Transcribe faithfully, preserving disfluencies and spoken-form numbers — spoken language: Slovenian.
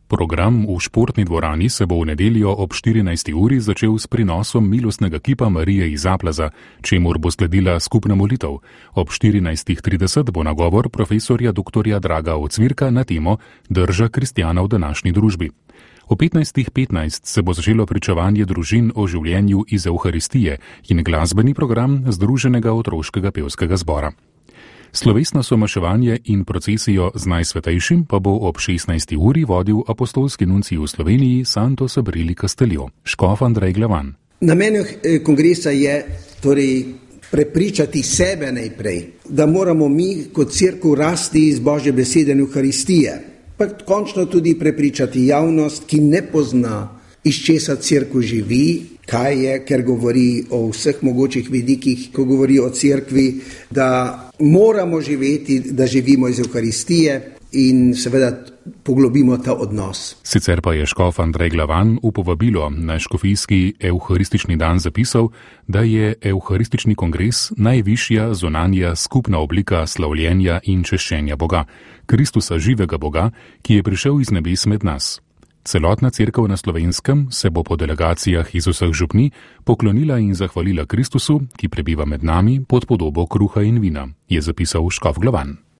Program v športni dvorani se bo v nedeljo ob štirinajsti uri začel s prinosom milostnega kipa Marije iz Zaplaza, čemur bo sledila skupna molitev. Ob štirinajstih trideset bo nagovor profesorja doktorja Draga Ocvirka na temo Drža kristjana v današnji družbi. O petnajstih petnajst se bo začelo pričevanje družin o življenju iz Evharistije in glasbeni program Združenega otroškega pevskega zbora. Slovesno somaševanje in procesijo z Najsvetejšim pa bo ob šestnajsti uri vodil apostolski nuncij v Sloveniji Santo Sabrili Castelio, škof Andrej Glavan. Namen kongresa je torej prepričati sebe najprej, da moramo mi kot cerkev rasti iz Božje besede in Evharistije, pa končno tudi prepričati javnost, ki ne pozna, iz česa cerkev živi, kaj je, ker govori o vseh mogočih vidikih, ko govori o cerkvi, da moramo živeti, da živimo iz Evharistije in seveda poglobimo ta odnos. Sicer pa je škof Andrej Glavan v povabilo na škofijski evharistični dan zapisal, da je evharistični kongres najvišja zunanja skupna oblika slavljenja in češčenja Boga, Kristusa živega Boga, ki je prišel iz nebes med nas. Celotna cerkev na Slovenskem se bo po delegacijah iz vseh župnij poklonila in zahvalila Kristusu, ki prebiva med nami pod podobo kruha in vina, je zapisal škof Glavan.